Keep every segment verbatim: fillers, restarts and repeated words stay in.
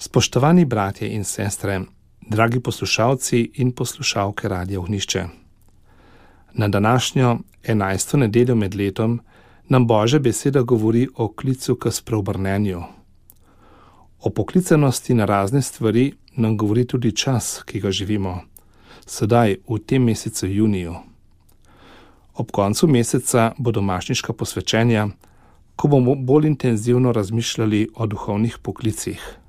Spoštovani bratje in sestre, dragi poslušalci in poslušalke Radia Ognjišče. Na današnjo enajsto nedeljo med letom nam Božja beseda govori o klicu k spreobrnenju. O poklicanosti na razne stvari nam govori tudi čas, ki ga živimo, sedaj v tem mesecu juniju. Ob koncu meseca bo domačniška posvečenja, ko bomo bolj intenzivno razmišljali o duhovnih poklicih.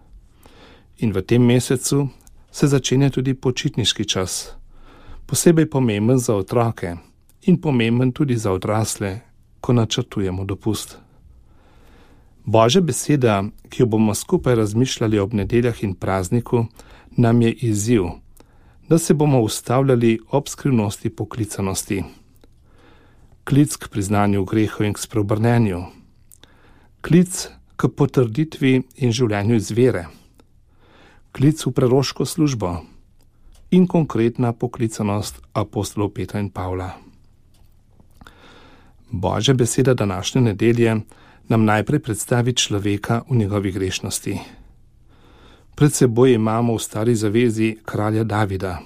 In v tem mesecu se začenja tudi počitniški čas, posebej pomemben za otroke in pomemben tudi za odrasle, ko načrtujemo dopust. Božja beseda, ki jo bomo skupaj razmišljali ob nedeljah in prazniku, nam je izziv, da se bomo ustavljali ob skrivnosti poklicanosti. Klic k priznanju grehov in k spreobrnenju. Klic k potrditvi in življenju iz vere. Klic v preroško službo in konkretna poklicanost apostolov Petra in Pavla. Božja beseda današnje nedelje nam najprej predstavi človeka v njegovi grešnosti. Pred seboj imamo v Stari zavezi kralja Davida.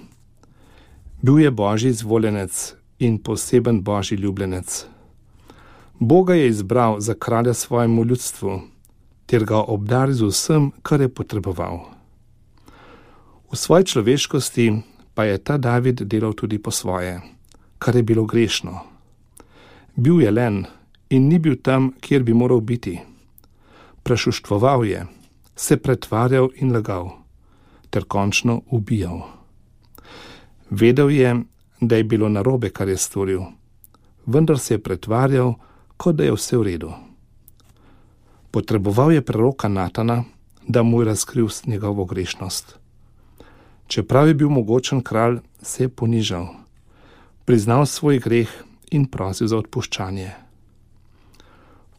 Bil je Božji izvoljenec in poseben Božji ljubljenec. Boga je izbral za kralja svojemu ljudstvu, ter ga obdaril z vsem, kar je potreboval. V svoji človeškosti pa je ta David delal tudi po svoje, kar je bilo grešno. Bil je len in ni bil tam, kjer bi moral biti. Prešuštvoval je, se pretvarjal in lagal, ter končno ubijal. Vedel je, da je bilo narobe, kar je storil, vendar se je pretvarjal, kot da je vse v redu. Potreboval je preroka Natana, da mu je razkril njegovo grešnost. Čeprav je bil mogočen kralj, se je ponižal, priznal svoj greh in prosil za odpuščanje.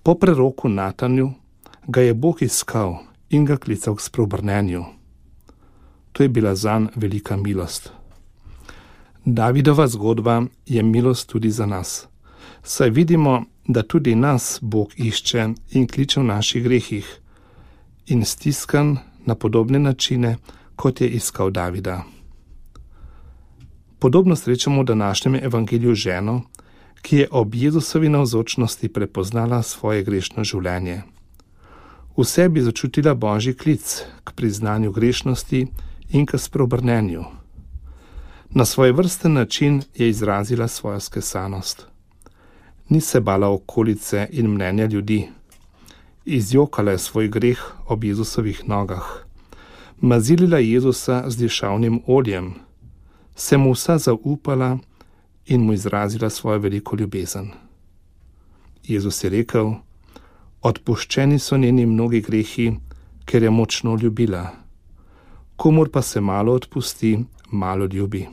Po preroku Natanju ga je Bog iskal in ga klical k spreobrnenju. To je bila zanj velika milost. Davidova zgodba je milost tudi za nas, saj vidimo, da tudi nas Bog išče in kliče v naših grehih in stiskan na podobne načine, kot je iskal Davida. Podobno srečamo v današnjem evangeliju ženo, ki je ob Jezusovi navzočnosti prepoznala svoje grešno življenje. V sebi začutila Božji klic k priznanju grešnosti in k spreobrnenju. Na svoj vrsten način je izrazila svojo skesanost. Ni se bala okolice in mnenja ljudi. Izjokala je svoj greh ob Jezusovih nogah. Mazilila Jezusa z dišavnim oljem, se mu vsa zaupala in mu izrazila svojo veliko ljubezen. Jezus je rekel: odpuščeni so njeni mnogi grehi, ker je močno ljubila. Komur pa se malo odpusti, malo ljubi.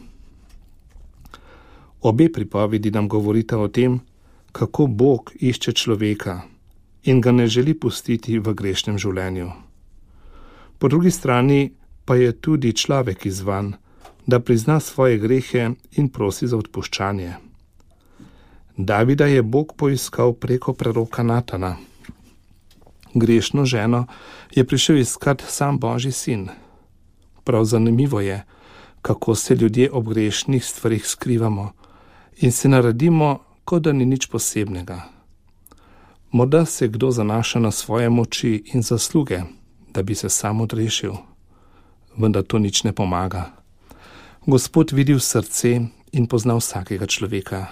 Obe pripovedi nam govorita o tem, kako Bog išče človeka in ga ne želi pustiti v grešnem življenju. Po drugi strani pa je tudi človek izzvan, da prizna svoje grehe in prosi za odpuščanje. Davida je Bog poiskal preko preroka Natana. Grešno ženo je prišel iskat sam Božji sin. Prav zanimivo je, kako se ljudje ob grešnih stvarih skrivamo in se naredimo, kot da ni nič posebnega. Morda se kdo zanaša na svoje moči in zasluge, da bi se sam odrešil, vendar to nič ne pomaga. Gospod vidi v srce in pozna vsakega človeka.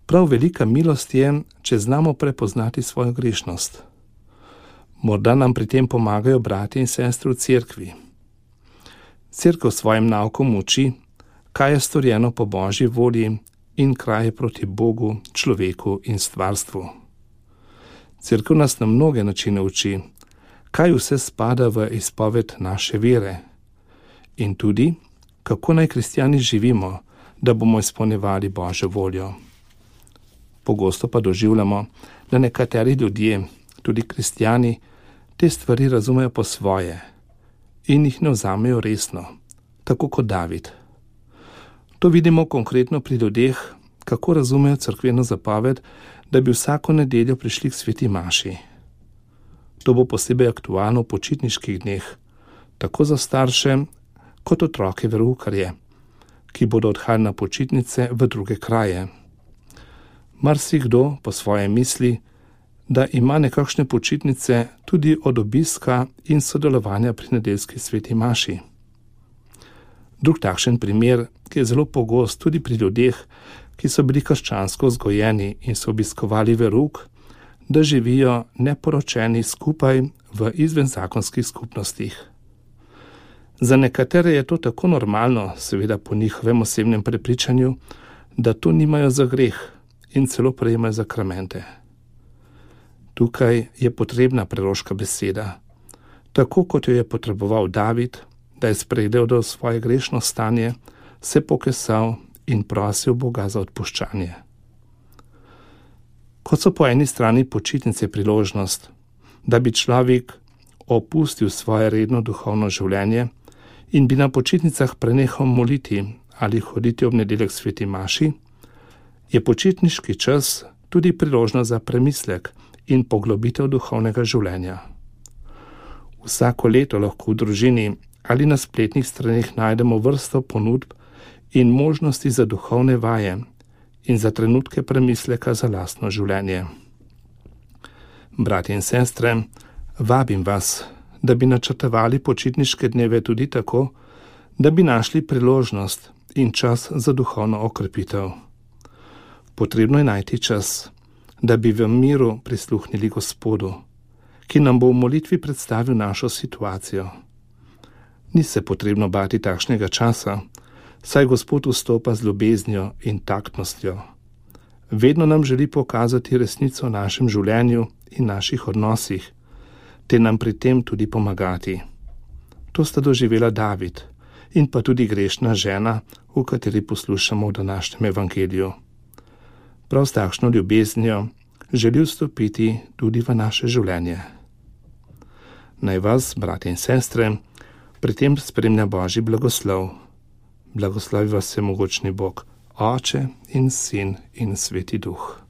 Prav velika milost je, če znamo prepoznati svojo grešnost. Morda nam pri tem pomagajo bratje in sestre v cerkvi. Cerkev svojim naukom uči, kaj je storjeno po Božji volji in kaj je proti Bogu, človeku in stvarstvu. Cerkev nas na mnoge načine uči, kaj vse spada v izpoved naše vere in tudi, kako naj kristjani živimo, da bomo izpolnjevali Božjo voljo. Pogosto pa doživljamo, da nekateri ljudje, tudi kristjani, te stvari razumejo po svoje in jih ne vzamejo resno, tako kot David. To vidimo konkretno pri ljudeh, kako razumejo cerkveno zapoved, da bi vsako nedeljo prišli k sveti maši. To bo posebej aktualno v počitniških dneh, tako za starše, kot otroke veroukarje, ki bodo odhajali na počitnice v druge kraje. Marsikdo po svoje misli, da ima nekakšne počitnice tudi od obiska in sodelovanja pri nedeljski sveti maši. Drug takšen primer, ki je zelo pogost tudi pri ljudeh, ki so bili krščansko vzgojeni in so obiskovali verouk, da živijo neporočeni skupaj v izvenzakonskih skupnostih. Za nekatere je to tako normalno, seveda po njihovem osebnem prepričanju, da to nimajo za greh in celo prejemajo zakramente. Tukaj je potrebna preroška beseda, tako kot jo je potreboval David, da je spregledal svoje grešno stanje, se pokesal in prosil Boga za odpuščanje. Kot so po eni strani počitnice priložnost, da bi človek opustil svoje redno duhovno življenje in bi na počitnicah prenehal moliti ali hoditi ob nedeljek sveti maši, je počitniški čas tudi priložnost za premislek in poglobitev duhovnega življenja. Vsako leto lahko v družini ali na spletnih straneh najdemo vrsto ponudb in možnosti za duhovne vaje in za trenutke premisleka za lastno življenje. Bratje in sestre, vabim vas, da bi načrtovali počitniške dneve tudi tako, da bi našli priložnost in čas za duhovno okrepitev. Potrebno je najti čas, da bi v miru prisluhnili Gospodu, ki nam bo v molitvi predstavil našo situacijo. Ni se potrebno bati takšnega časa, saj Gospod vstopa z ljubeznijo in taktnostjo. Vedno nam želi pokazati resnico o našem življenju in naših odnosih, te nam pri tem tudi pomagati. To sta doživela David in pa tudi grešna žena, v kateri poslušamo v današnjem evangeliju. Prav s takšno ljubeznijo želi vstopiti tudi v naše življenje. Naj vas, bratje in sestre, pri tem spremlja Božji blagoslov. Blagoslovi vas vsemogočni Bog, Oče in Sin in Sveti Duh.